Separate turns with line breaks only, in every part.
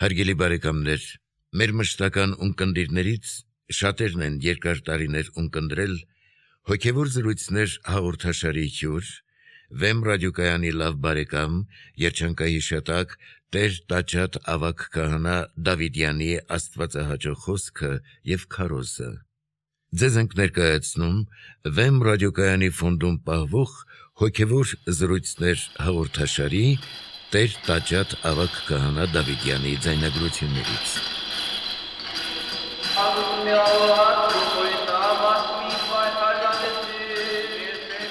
Հարգելի բարեկամներ, մեր մշտական ունկնդիրներից շատերն են երկար տարիներ ունկնդրել հոգևոր զրույցներ հաղորդաշարի հյուր, Վեմ ռադիոկայանի լավ բարեկամ, երջանկահիշատակ Տեր Տաճատ ավագ քահանա Դավիդյանի աստվածահաճո խոսքը եւ քարոզը։ Ձեզ ենք ներկայացնում Վեմ ռադիոկայանի ֆոնդում պահվող հոգևոր զրույցներ հաղորդաշարի Տեր Տաճատ ավագ քահանա Դավիդյանի ձայնագրություններից։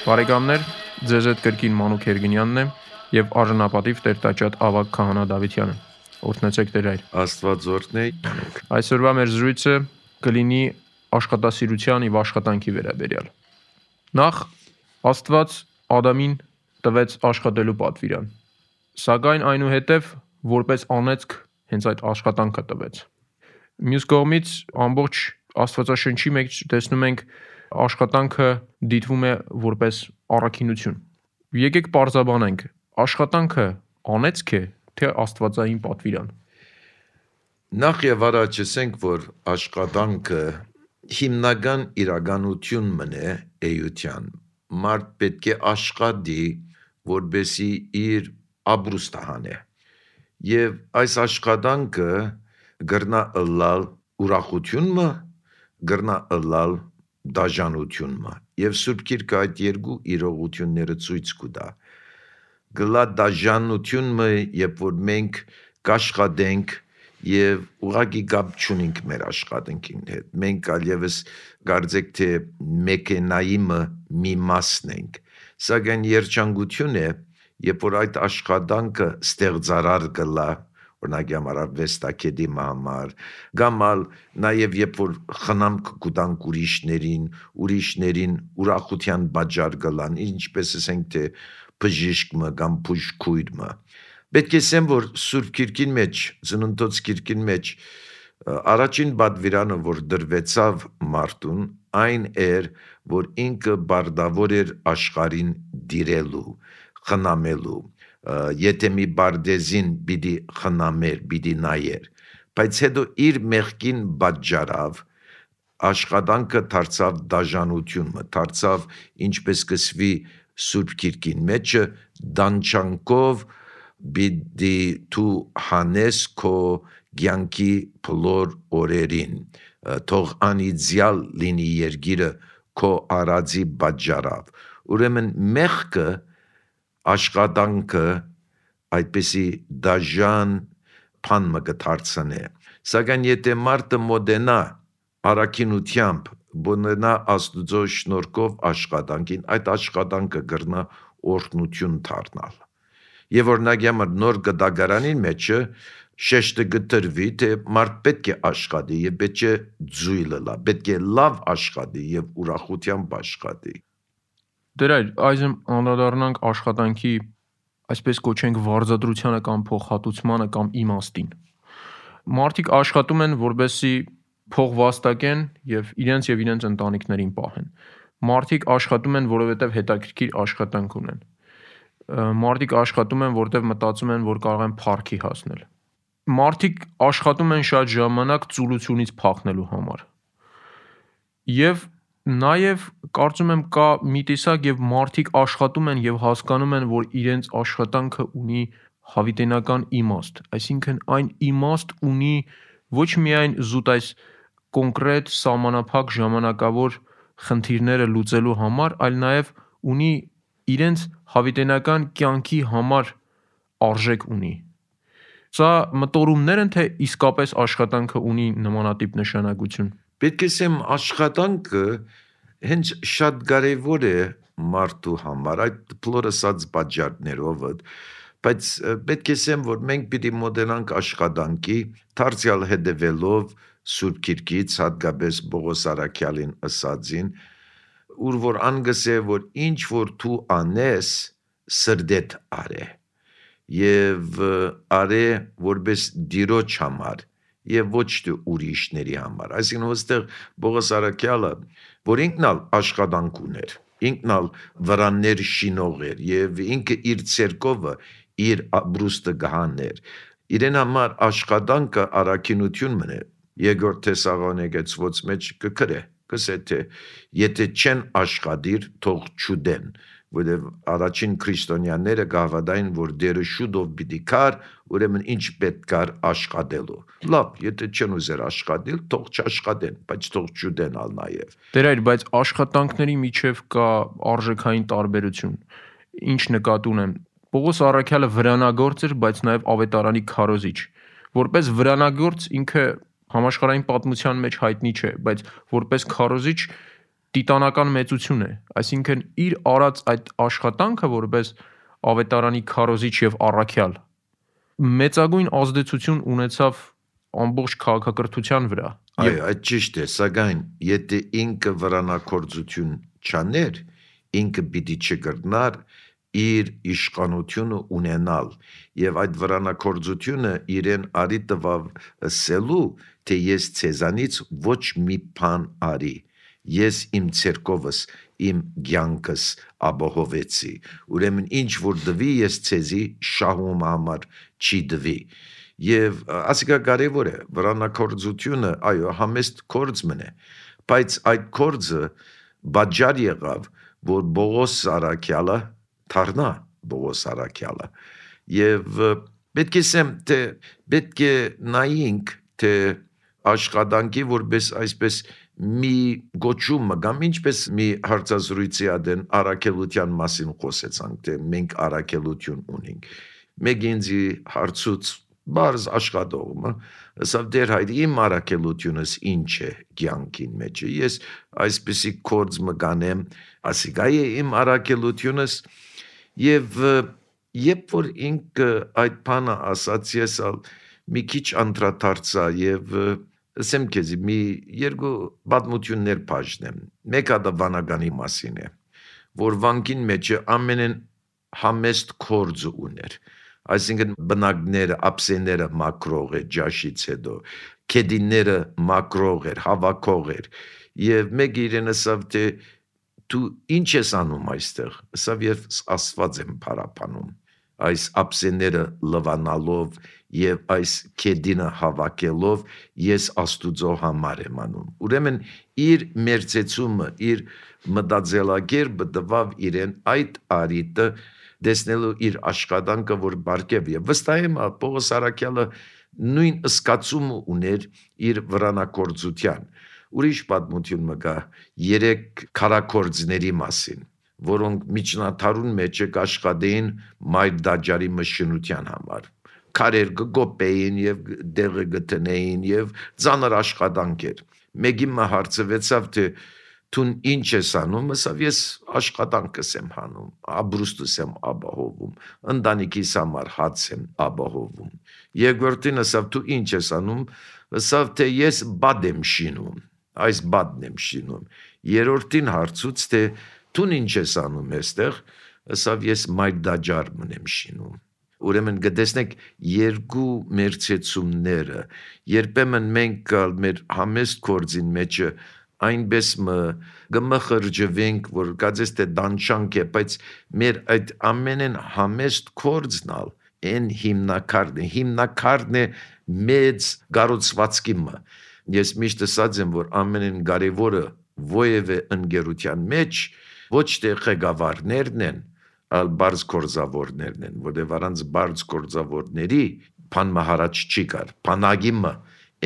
Բարեկամներ, ձեզ հետ կրկին Մանուկ Երգինյանն է եւ արժանապատիվ Տեր Տաճատ ավագ քահանա Դավիդյանը։ Օրհնեցեք Տեր այր։
Աստված օրհնե։
Այսօրվա մեր զրույցը կլինի աշխատասիրության եւ աշխատանքի վերաբերյալ։ Նախ Աստված Ադամին տվեց աշխատելու պատվիրան, սակայն այնուհետև որպես անեծք հենց այդ աշխատանքը տվեց։ Մյուս կողմից ամբողջ Աստվածաշնչի մեջ տեսնում ենք աշխատանքը դիտվում է որպես առաքինություն։ Եկեք պարզաբանենք, աշխատանքը անեծք է, թե աստվածային պատվիրան։
Նախ եւ առաջ ասենք, որ աշխատանքը հիմնական իրականություն մնե էության։ Մարդ պետք է աշխատի, որբեսի իր ապրուստը հանե։ Եվ այս աշխատանքը գրնա ըլլալ ուրախությունը, գրնա ըլլալ դաժանությունը։ Եվ Սուրբ Գիրքը այդ երկու իրողությունները ցույց կտա։ Գլա դաժանությունը, երբ որ մենք կաշխատենք եւ ուղղակի կապ չունենք մեր աշխատանքին հետ։ Մենք այլևս կարծեք թե մեքենայի մի մասն ենք։ Սակայն երջանկություն է, երբ որ այդ աշխատանքը ստեղծարար գլա, օրինակ համար արվեստագետի համար, կամ նաև երբ որ խնամք կտանք ուրիշներին ուրախության պատճառ գլան, ինչպես ասենք թե բժիշկը կամ բուժքույրը։ Պետք է ասեմ, որ Սուրբ Գիրքին մեջ, Ծննդոց Գիրքին մեջ առաջին պատվիրանը, որ դրվեցավ մարդուն, այն էր, որ ինքը բարդավոր էր աշխարհին դիրելու, խնամելու, եթե մի բարդեզին պիտի խնամեր, պիտի նայեր, բայց հետո իր մեղքին պատճառով աշխատանքը դարձավ դաժանությունը, դարձավ ինչպես կսվի Սուրբ Գիրքին մեջը դանչանքով պիտի դու հանես քո կյանքի բոլոր օրերին, թող անիծյալ լինի երկիրը քո արածի պատճառով։ Ուրեմն մեղքը աշխատանքը այդպեսի դաժան բան մը կդարձնե։ Սակայն եթե մարդը մոտենա առաքինությամբ, բնենա Աստուծո շնորհքով աշխատանքին, այդ աշխատանքը կգրնա օրհնություն դառնալ։ Եվ օրինակ համար նոր գդագարանին մեջը շեշտը գտրվի, թե մարդ պետք է աշխատի եւ պետք է ձույլը լա, պետք է լավ աշխատի եւ ուրախությամբ աշխատի։
Դեր այր, այժմ անդրադառնանք աշխատանքի, այսպես կոչենք վարձատրությանը կամ փոխհատուցմանը կամ իմաստին։ Մարդիկ աշխատում են, որբեսի փող վաստակեն եւ իրենց ընտանիքներին պահեն։ Մարդիկ աշխատում են, որովհետեւ հետաքրքիր աշխատանք ունեն։ Մարդիկ աշխատում են, որովհետեւ մտածում են, որ կարող են փառքի հասնել։ Մարդիկ աշխատում են շատ ժամանակ ծուլությունից փախնելու համար։ Եվ նաև կարծում եմ կա մի տեսակ եւ մարդիկ աշխատում են եւ հասկանում են, որ իրենց աշխատանքը ունի հավիտենական իմաստ, այսինքն այն իմաստ ունի ոչ միայն զուտ այս կոնկրետ սահմանափակ ժամանակավոր խնդիրները լուծելու համար, այլ նաև ունի իրենց հավիտենական կյանքի համար արժեք ունի։ Սա մտորումներ են, թե իսկապես աշխատանքը ունի նմանատիպ նշանակություն։
Պետք է ասեմ, աշխատանքը հենց շատ կարևոր է մարդու համար, այդ բոլոր ասած պատճառներով, բայց պետք է ասեմ, որ մենք պիտի մոտենանք աշխատանքի, դարձյալ հետևելով Սուրբ Գիրքից, հատկապես Պողոս առաքյալին ասածին, ուր որ անգս է, որ ինչ որ դու անես, սրդեդ արե, եւ արե որպես Տիրոջ համար, եւ ոչ թե ուրիշների համար։ Այսինքն ոստեղ Պողոս առաքյալը, որ ինքն ալ աշխատանք ուներ, ինքն ալ վրաններ շինող էր եւ ինքը իր ցերկովը իր ապրուստը գահաներ իրեն համար աշխատանքը առաքինություն մնե։ Երկրորդ Թեսաղոնիկեցվոց մեջ կգրե, կսե թե եթե չեն աշխատիր, թող չուդեն, որտեղ առաջին քրիստոնյաները գավադային, որ դերը շուտով պիտի կար, ուրեմն ինչ պետք կար աշխատելու։ Լավ, եթե չեն ուզեր աշխատել, թող չաշխատեն, բայց թող չուդենալ նաև։
Դեր այլ, բայց աշխատանքների միջև կա արժեքային տարբերություն։ Ինչ նկատի ունեմ։ Պողոս առաքյալը վրանագործ էր, բայց նաև ավետարանի քարոզիչ։ Որպես վրանագործ ինքը համաշխարհային պատմության մեջ հայտնի չէ, բայց որպես քարոզիչ տիտանական մեծություն է, այսինքն իր արած այդ աշխատանքը որպես ավետարանի քարոզիչ եւ առաքյալ մեծագույն ազդեցություն ունեցավ ամբողջ քաղաքակրթության վրա։
Այո, այդ ճիշտ է, սակայն եթե ինքը վրանակորձություն չաներ, ինքը պիտի չկրնար իր իշխանությունը ունենալ եւ այդ վրանակորձությունը իրեն արի տվավ ասելու, թե ես ցեզանից ոչ մի բան արի, ես իմ ցերկովս, իմ ցանկս ապահովեցի, ուրեմն ինչ որ դվի ես ցեզի շահում համար չի դվի եւ ասիկա կարեւոր է վրանակորձությունը, այո, համեստ կորձ մնե, բայց այդ կորձը բաժար եղավ, որ Պողոս առաքյալը թարնա Պողոս առաքյալը եւ պետք է ասեմ թե պետք է նայենք թե աշխատանքի որպես այսպես մի գոչումը կամ ինչպես մի հարցազրույցի ադեն առաքելության մասին խոսեցանք թե մենք առաքելություն ունենք մեկ ինձի հարցուց բարձ աշխատողը ասավ դեր հայր իմ առաքելությունս ինչ է կյանքին մեջ ես այսպեսի կորձ մկանեմ ասիկա է իմ առաքելությունս եւ երբ որ ինքը այդ բանը ասաց ես մի քիչ անդրադարձա եւ ասեմ քեզ մի երկու պատմություններ բաժնեմ մեկը դա վանագանի մասին է որ վանքին մեջ ամենեն համեստ կորձ ուներ այսինքն բնակները ապսեները մակրող է ջաշից հետո քեդինները մակրող էր հավաքող էր եւ մեկ իրեն ասավ թե դու ինչ ես անում այստեղ ասավ ես աստված եմ փարապանում այս ապսեները լվանալով եւ այս քեդինը հավաքելով ես աստուծո համար եմ անում ուրեմն իր մերձեցումը իր մտածելակերպը տվավ իրեն այդ արիտը դեսնելու իր աշխատանքը որ բարգև եւ վստահ եմ Պողոս առաքյալը նույն սկացումը ուներ իր վրանակորձության ուրիշ պատմություն մգա 3 քարակորձների մասին որոնք միջնադարուն մեջ աշխատեին մայր դաջարի մշինության համար քարեր գոպեին եւ դեղը գտնեին եւ ծանր աշխատանք էր մեկի հարցվեցավ թե Տուն ինչ ես անում, ասավ ես աշխատանքս եմ հանում, աբրուստս եմ ապահովում, ընտանիքիս համար հաց եմ ապահովում։ Երկրորդին ասավ դու ինչ ես անում, ասավ թե ես բադ եմ շինում, այս բադն եմ շինում։ Երրորդին հարցուց թե դու ինչ ես անում այստեղ, ասավ ես մայրդաջար եմ շինում։ Ուրեմն գտեսնեք երկու մերձեցումները, երբեմն մենք մեր համեստ կորձին մեջը այնպես գմխրջվենք, որ գածես թե դանչանք է, բայց մեր այդ ամենեն համեստ կորձնալ են հիմնակարն է մեծ գարուցվածքի մը։ Ես միշտ ասած եմ, որ ամենեն կարևորը ովևէ ընկերության մեջ ոչ թե ղեկավարներն են, այլ բարձ կորձավորներն են, որտեղ առանց բարձ կորձավորների բան մահարաճ չի կար։ Բանակի մը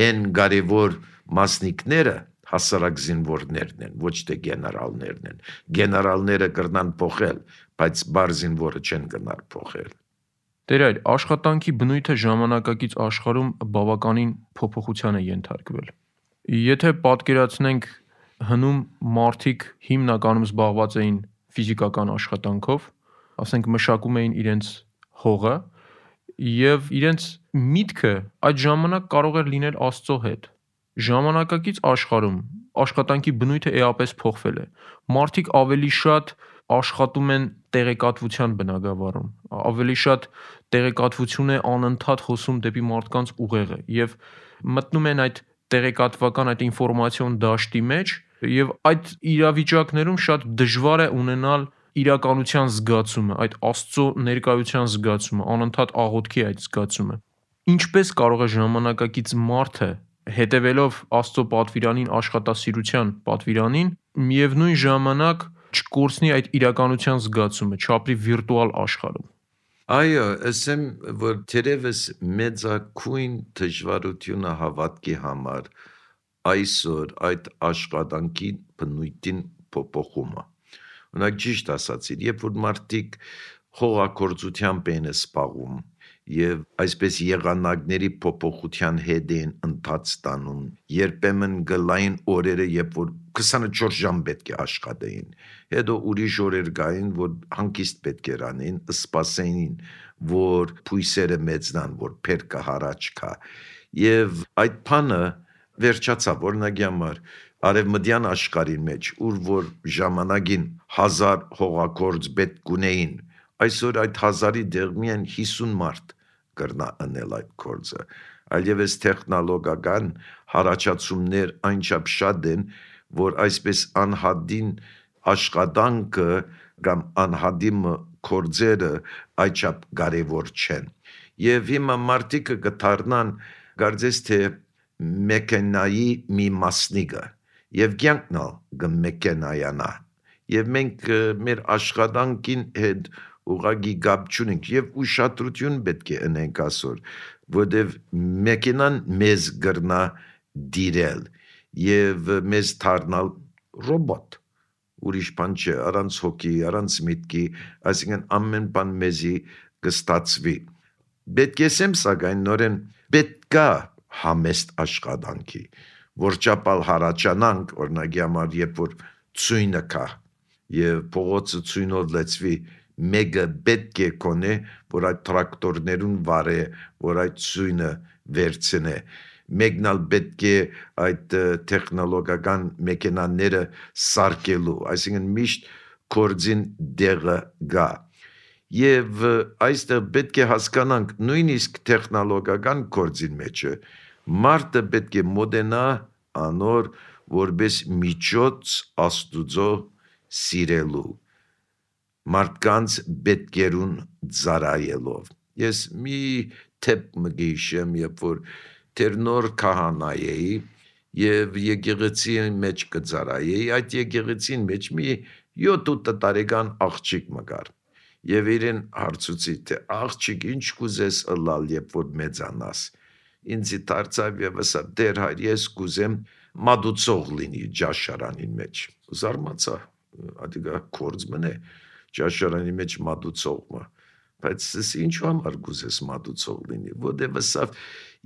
են կարևոր մասնիկները հասարակ զինվորներն են, ոչ թե գեներալներն են։ Գեներալները կրնան փոխել, բայց բարձ զինվորը չեն կրնար փոխել։
Տեր այլ, աշխատանքի բնույթը ժամանակակից աշխարհում բավականին փոփոխության է ենթարկվել։ Եթե պատկերացնենք հնում մարդիկ հիմնականում զբաղված էին ֆիզիկական աշխատանքով, ասենք մշակում էին իրենց հողը եւ իրենց միտքը այդ ժամանակ կարող էր լինել Աստծո հետ։ Ժամանակակից աշխարհում աշխատանքի բնույթը էապես փոխվել է։ Մարդիկ ավելի շատ աշխատում են տեղեկատվության բնագավառում, ավելի շատ տեղեկատվություն է անընդհատ խոսում դեպի մարդկանց ուղեղը եւ մտնում են այդ տեղեկատվական այդ ինֆորմացիոն դաշտի մեջ եւ այդ իրավիճակներում շատ դժվար է ունենալ իրականության զգացումը, այդ Աստծո ներկայության զգացումը, անընդհատ աղոթքի այդ զգացումը։ ինչպես կարող է ժամանակակից մարդը հետևելով Աստծո պատվիրանին, աշխատասիրության պատվիրանին, միևնույն ժամանակ չկորցնի այդ իրականության զգացումը, չապրի վիրտուալ աշխարհում։
Այո, ասեմ, որ թերևս մեծակույն դժվարությունը հավատքի համար այսօր այդ աշխատանքի բնույթին փոփոխումը։ Օրինակ ճիշտ ասացիր, երբ որ մարդիկ խոհակորձությամբ են սպառում եւ այսպես եղանակների փոփոխության հետ են ընթաց տանում, երբեմն գլային օրերը, երբ որ 24 ժամ պետք է աշխատեին, հետո ուրիշ օրեր գային, որ հանգիստ պետք էր անեն, սպասեին, որ փույսերը մեծնան, որ փերկը հարաճ կա, եւ այդ բանը վերջացավ, օրինակի համար արևմտյան աշխարհի մեջ, ուր որ ժամանակին 1000 հողակորձ պետք ունեին, այսօր այդ 1000-ի դեղ միայն 50 մարդ կրնա անել այդ կորձը, այլևս տեխնոլոգիական հարաճացումներ այնչափ շատ են, որ այսպես անհադին աշխատանքը կամ անհադիմ կորձերը այդչափ կարևոր չեն, եւ հիմա մարդիկը կդառնան կարծես թե մեքենայի մի մասնիկը, եւ կյանքն ալ կմեքենայանա, եւ մենք մեր աշխատանքին հետ ուղղակի գապ չունենք եւ ուշադրություն պետք է ունենք այսօր, որտեւ մեքենան մեզ գրնա դիրել եւ մեզ դառնալ ռոբոտ, ուրիշ բան չէ, առանց հոգի, առանց միտքի, այսինքն ամեն բան մեզի կստացվի։ Պետք է ասեմ սակայն նորեն պետք է համեստ աշխատանքի, որ ճապալ հարաճանանք, օրինակի համար, երբ որ ցույնը կա եւ փողոցը ցույնով լեցվի, մեկը պետք է կոնե, որ այդ տրակտորներուն վարե, որ այդ ցույնը վերցնե, մեկն ալ պետք է այդ տեխնոլոգիական մեքենաները սարքելու, այսինքն միշտ կորձին դեղը գա, եւ այստեղ պետք է հասկանանք նույնիսկ տեխնոլոգիական կորձին մեջը, մարդը պետք է մոդենա անոր որպես միջոց Աստուծո սիրելու, մարդկանց պետքերուն ծառայելով։ Ես մի թեփ մգիշեմ, երբ որ դեր նոր քահանայի եւ եկեղեցի մեջ կծառայեի, այդ եկեղեցին մեջ մի 7-8 տարեկան աղջիկ մգար։ Եվ իրեն հարցուցի, թե աղջիկ ինչ կուզես ըլալ, երբ որ մեծանաս։ Ինձի դարձավ եւ ասա, դեր հայր, ես կուզեմ մատուցող լինի ջաշարանին մեջ։ Զարմացա, ադիգա կորձ մնե ջաշարանի մեջ մատուցողը, բայց ինչու համար կուզես մատուցող լինի, որտեւ ասավ,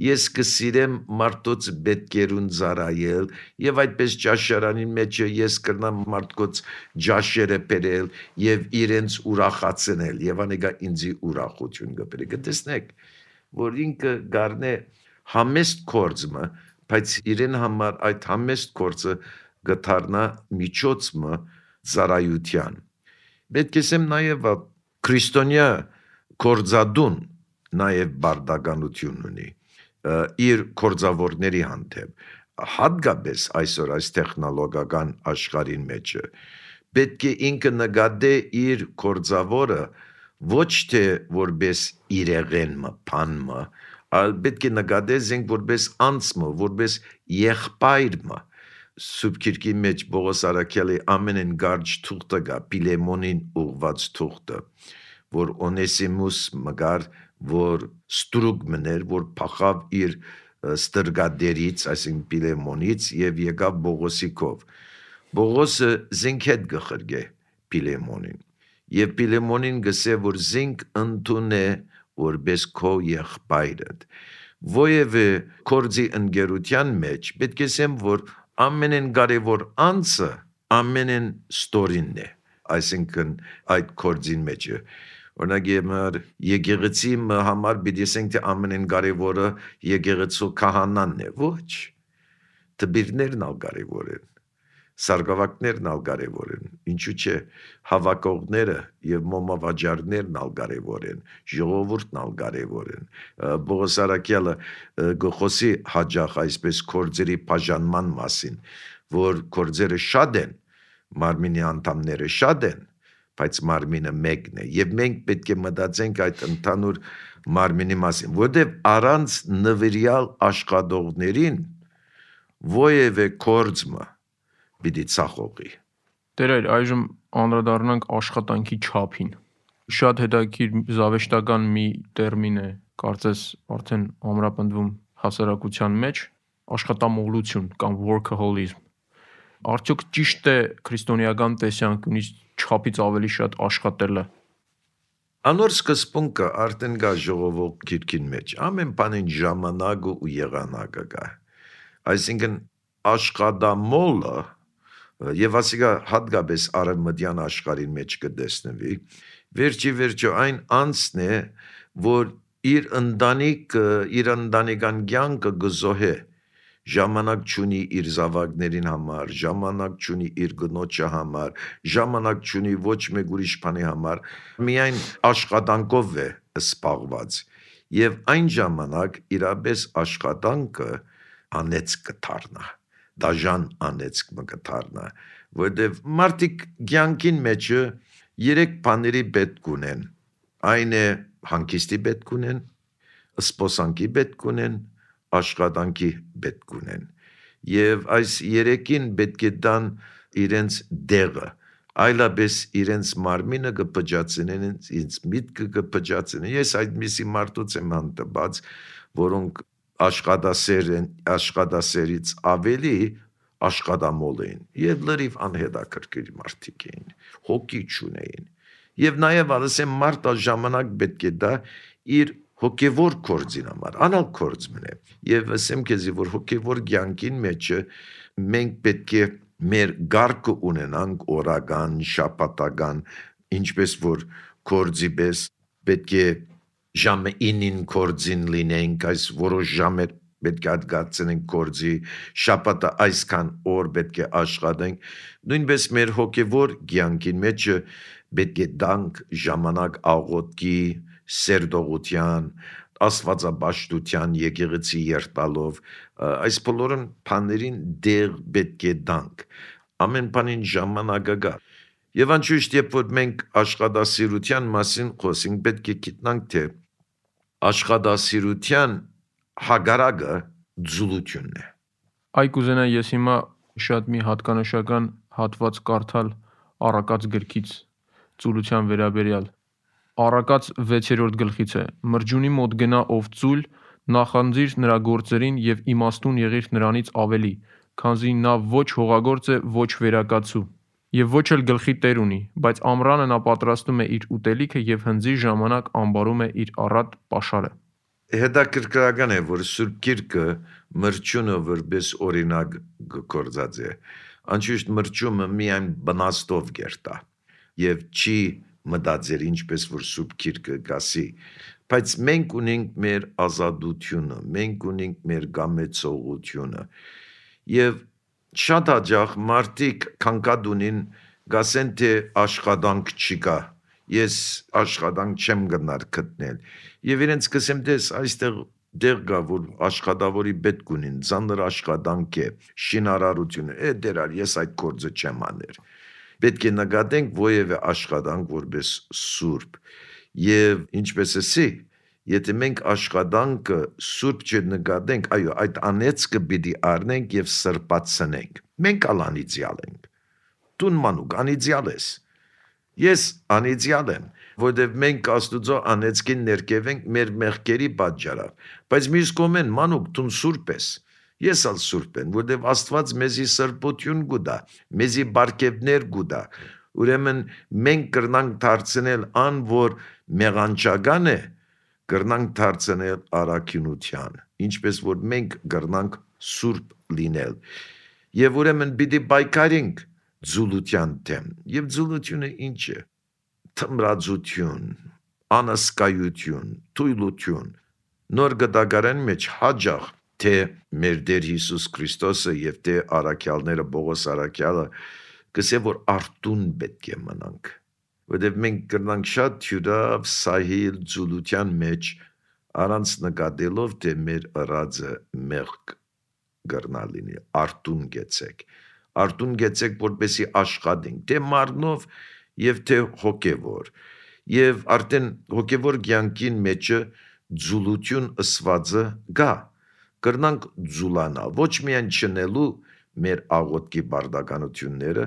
ես կսիրեմ մարդոց պետքերուն ծառայել եւ այդպես ջաշարանի մեջ ես կրնամ մարդոց ջաշերը բերել եւ իրենց ուրախացնել եւ անեգա ինձի ուրախություն կբերի, կտեսնեք, որ ինքը գարնե համեստ կորձը, բայց իրեն համար այդ համեստ կորձը գտարնա միջոցը ծառայության։ Պետք է ասեմ նաև քրիստոնյա կորձադուն նաև բարդականություն ունի իր կորձավորների հանդեպ, հատկապես այսօր այս տեխնոլոգիական աշխարհին մեջ պետք է ինքը նկատե իր կորձավորը ոչ թե որպես իրեղենը, բանը, այլ պետք է նկատե զենք որպես անձը, որպես եղբայրը։ Սուրբ Քիրքի մեջ Պողոս Արաքյալի ամենեն գարջ թուղթը գա, Պիլեմոնին ուղված թուղթը, որ Օնեսիմուս մգար, որ ստրուկ մներ, որ փախավ իր ստրգադերից, այսինքն Պիլեմոնից եւ եկավ Պողոսի կով։ Պողոսը զինք հետ գխրգե Պիլեմոնին։ Եվ Պիլեմոնին գսե, որ զինք ընդունե որպես քո եղբայրդ։ Ովևէ կորձի ընկերության մեջ պետք է ասեմ, որ ամենեն կարևոր անձը ամենեն ստորինն է, այսինքն այդ կորձին մեջը։ Օրինակ համար եկեղեցի համար պիտի ասենք թե ամենեն կարևորը եկեղեցու քահանանն է, ոչ։ Տբիրներն ալ կարևոր են, սարգսակներն ալ կարևոր են, ինչու՞ չէ հավաքողները եւ մոմավաճառներն ալ կարևոր են, ժողովուրդն ալ կարևոր են։ Պողոս Արաքյալը գխոսի հաջող այսպես կորձերի բաժանման մասին, որ կորձերը շատ են, մարմինի անդամները շատ են, բայց մարմինը մեկն է, եւ մենք պետք է մտածենք այդ ընդհանուր մարմինի մասին, որտեղ առանց նվիրյալ աշխատողներին ովևէ կորձը պիտի ցախողի։
Տերեր, այժմ անդրադառնանք աշխատանքի չափին։ Շատ հետաքրքիր զավեշտական մի տերմին է, կարծես արդեն ամրապնդվում հասարակության մեջ, աշխատամոլություն կամ workaholism։ Արդյոք ճիշտ է քրիստոնեական տեսանկյունից չափից ավելի շատ աշխատելը։
Անոր սկզբունքը արդեն կա ժողովուրդ գիրքին մեջ, ամեն բանին ժամանակը ու եղանակը կա։ Այսինքն աշխատամոլը եւ ասիկա հատկապես արևմտյան աշխարհին մեջ կտեսնվի, վերջո այն անձն է, որ իր ընտանեկան կյանքը գզոհե, ժամանակ չունի իր զավակներին համար, ժամանակ չունի իր գնոջը համար, ժամանակ չունի ոչ մեկ ուրիշ բանի համար, միայն աշխատանքով է սպառված եւ այն ժամանակ իրապես աշխատանքը անեց կդառնա, դաժան անեց կդառնա, որտեւ մարդիկ կյանքին մեջը 3 բաների պետք ունեն, այն է հանգիստի պետք ունեն, սպոսանքի պետք ունեն, աշխատանքի պետք ունեն եւ այս 3-ին պետք է տան իրենց դեղը, այլապես իրենց մարմինը կփճացնեն, իրենց միտքը կփճացնեն։ Ես այդպիսի մարդուց եմ հանդիպած, որոնք աշխատասեր են, աշխատասերից ավելի աշխատամոլ էին եւ լրիվ անհետաքրքիր մարդիկ էին, հոգի չունեին եւ նաեւ ասեմ մարդը ժամանակ պետք է դա իր հոգևոր կորձին համար, անալ կորձ մնե, եւ ասեմ քեզի, որ հոգևոր կյանքին մեջը մենք պետք է մեր գարկը ունենանք օրական, շաբաթական, ինչպես որ կորձի պես պետք է ժամը 9-ին կորձին լինենք, այս որոշ ժամեր պետք է հատկացնենք կորձի, շաբաթը այսքան օր պետք է աշխատենք, նույնպես մեր հոգևոր կյանքին մեջը պետք է տանք ժամանակ աղոթքի, սերտողության, աստվածաբաշխության, եկեղեցի երթալով, այս բոլորն բաներին դեղ պետք է տանք, ամեն բանին ժամանակը կա։ Եվ անշուշտ երբ որ մենք աշխատասիրության մասին խոսենք, պետք է գիտնանք, թե աշխատասիրության հագարակը ձուլությունն է։
Այ կուզենա ես հիմա շատ մի հատկանշական հատված կարդալ Առակաց գրքից ծուլության վերաբերյալ։ Առակաց 6-րդ գլխից է. «Մրջունի մոտ գնա ով ծույլ, նախանձիր նրա գործերին եւ իմաստուն եղիր նրանից ավելի, քանզի նա ոչ հողագործ է, ոչ վերակացու, եւ ոչ էլ գլխի տեր ունի, բայց ամռանը նա պատրաստում է իր ուտելիքը եւ հնձի ժամանակ ամբարում է իր առատ պաշարը»։
Հետաքրքրական է, որ Սուրբ Գիրքը մրջյունը որպես օրինակ գործած է։ Անշուշտ մրջյունը միայն բնաստով գերտա եւ չի մտածել ինչպես որ Սուրբ Գիրքը գասի, բայց մենք ունենք մեր ազատությունը, մենք ունենք մեր գամեցողությունը եւ շատ հաճախ մարդիկ կանգադունին գասեն թե աշխատանք չկա, ես աշխատանք չեմ գնար գտնել եւ իրենց կսեմ դες այստեղ դեր գա որ աշխատավորի պետք ունին, ծանր աշխատանք է, շինարարություն է, դերար ես այդ գործը չեմ աներ։ Պետք է նկատենք որևէ աշխատանք որպես սուրբ եւ ինչպես էսի, եթե մենք աշխատանքը սուրբ չնկատենք, այո, այդ անեծքը պիտի առնենք եւ սրբացնենք։ Մենք անիծյալ ենք։ Դու մանուկ անիծյալ ես։ Ես անիծյալ եմ, որովհետև մենք Աստուծո անեծքին ներկևենք մեր մեղքերի պատճառով, բայց մյուս կողմեն մանուկ դու սուրբ ես։ Ես ալ սուրբ եմ, որովհետև Աստված մեզի սրբություն գուտա, մեզի բարգեւներ գուտա։ Ուրեմն մենք կրնանք դարձնել ան, որ մեղանչական է, կրնանք դարձնել առաքինության, ինչպես որ մենք կրնանք սուրբ լինել։ Եվ ուրեմն պիտի պայքարենք ձուլության դեմ։ Եվ ձուլությունը ինչ է։ Թմրածություն, անասկայություն, թույլություն։ Նոր գտակարան մեջ հաջող թե մեր Տեր Հիսուս Քրիստոսը եւ թե առաքյալները Պողոս առաքյալը կսե որ արտուն պետք է մնանք, որովհետեւ մենք կրնանք շատ թյուրավ սահիլ ձուլության մեջ առանց նկատելով թե մեր ըրածը մեղք կրնալինի, արտուն գեցեք որպեսի աշխատենք, թե մարմնով եւ թե հոգեվոր։ Եվ արդեն հոգեվոր կյանքին մեջը ձուլություն ըսվածը գա։ Կրնանք ձուլանալ, ոչ միայն չնելու մեր աղոտքի բարդականությունները,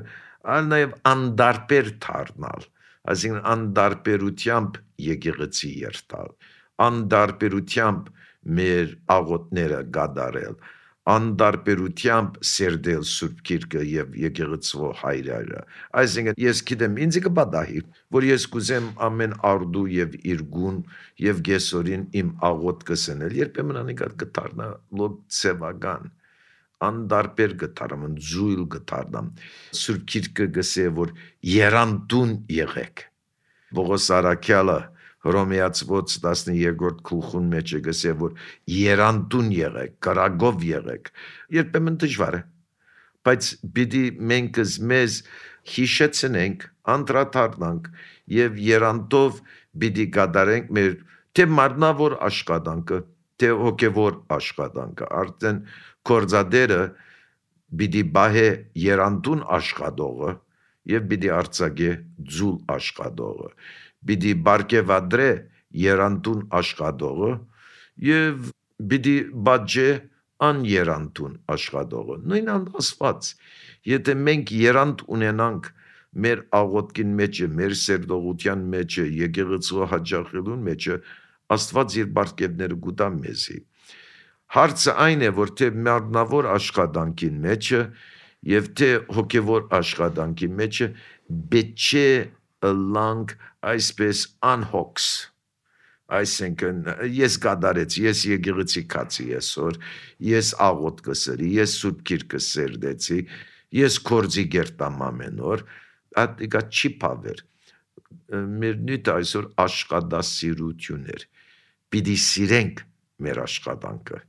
այլ նաև անդարբեր թարնալ, այսինքն անդարբերությամբ եկեղեցի երթալ, անդարբերությամբ մեր աղոտները գադարել, անդարբերությամբ սերդել Սուրբ Գիրքը եւ եկեղեցու հայրերը։ Այսինքն ես գիտեմ ինձ կպատահի, որ ես կուզեմ ամեն արդու եւ իրգուն եւ գեսորին իմ աղոտ կսնել, երբեմն անիկա կդառնա լոկ ցևական, անդարբեր կդառնամ, զույլ կդառնամ։ Սուրբ Գիրքը գսե որ երանդուն եղեք։ Պողոս Արաքյալը Հռոմեացիոց 12-րդ գլխուն մեջ է գսե որ երանդուն եղեք, կրագով եղեք։ Երբեմն դժվար է, բայց պիտի մենք մեզ հիշեցնենք, անդրադառնանք եւ երանդով պիտի գադարենք մեր թե մարմնավոր աշխատանքը, թե հոգեվոր աշխատանքը։ Արդեն կորձադերը պիտի բահե երանդուն աշխատողը եւ պիտի արձակե ձուլ աշխատողը։ Պիտի բարգեւադրե երանդուն աշխատողը եւ պիտի բաժե աներանդուն աշխատողը։ Նույն Աստված, եթե մենք երанд ունենանք մեր աղոտքին մեջը, մեր սերտողության մեջը, եկեղեցու հաջողելուն մեջը, Աստված իր բարգեւները կուտա մեզի։ Հարցը այն է, որ թե մարմնավոր աշխատանքին մեջը եւ թե հոգեվոր աշխատանքի մեջը բեչե լանգ այսպես անհոգս, այսինքն ես գադարեցի, ես եկեղեցի կացի այսօր, ես աղոտ կսերի, ես Սուրբ Գիրքը սերդեցի, ես կորձի գերտամ ամեն օր, ատիկա չի պավեր, մեր նույնը այսօր աշխատասիրություն էր, պիտի սիրենք մեր աշխատանքը,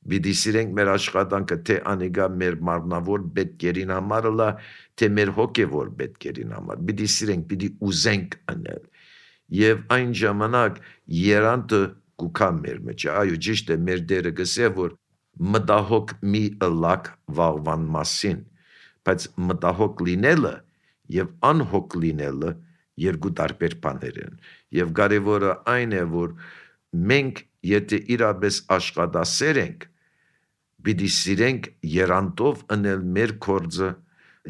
պիտի սիրենք մեր աշխատանքը, թե անիկա մեր մարմնավոր պետքերին համար լա, թե մեր հոգևոր պետքերին համար, պիտի սիրենք, պիտի ուզենք անել, եւ այն ժամանակ երանդը կուքա մեր մեջ, այո ճիշտ է, մեր դերը գսե, որ մտահոգ մի ըլակ վաղվան մասին, բայց մտահոգ լինելը եւ անհոգ լինելը երկու տարբեր բաներ են, եւ կարևորը այն է, որ մենք եթե իրապես աշխատասեր ենք, պիտի սիրենք երանդով անել մեր կորձը,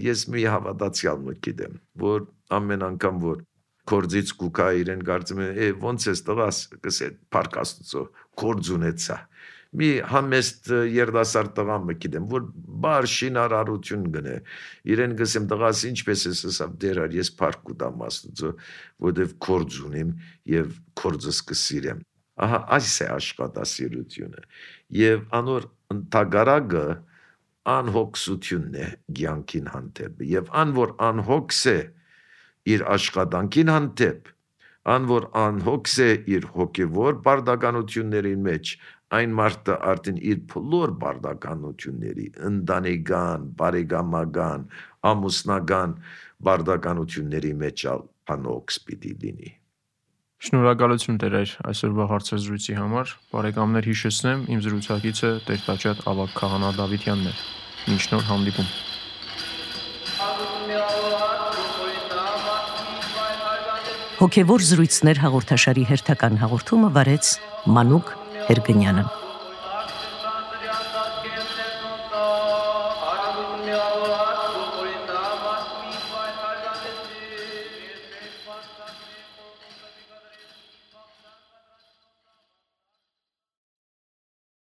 ես մի հավատացյալ մը գիտեմ, որ ամեն անգամ, որ կորձից կուկա իրեն կարծում են, ոնց ես տղաս, կսե փառք Աստծո, կորձ ունեցա, մի համեստ երդասարդ տղա մը գիտեմ, որ բար շինարարություն գնե, իրեն գսեմ տղաս ինչպես ես ասավ դերար, ես փառք կուտամ Աստծո, որտեվ կորձ ունիմ եւ կորձս կսիրեմ, ահա այս է աշխատասիրությունը, եւ անոր ընդհանրակը անհոգսությունն է կյանքին հանդեպ, եւ անոր անհոգս է իր աշխատանքին հանդեպ, անոր անհոգս է իր հոգևոր բարդականությունների մեջ, այն մարդը արդեն իր բոլոր բարդականությունների, ընտանեկան, բարեկամական, ամուսնական բարդականությունների մեջ անհոգս պիտի լինի։
Շնորհակալություն Տեր այսօրվա հարցազրույցի համար, բարեկամներ հիշեցնեմ, իմ զրուցակիցը Տեր-Տաճատ Ավագ քահանա Դավիթյանն էր, մինչ նոր հանդիպում։
Հոգևոր զրույցներ հաղորդաշարի հերթական հաղորդումը վարեց Մանուկ Հերգնյանը։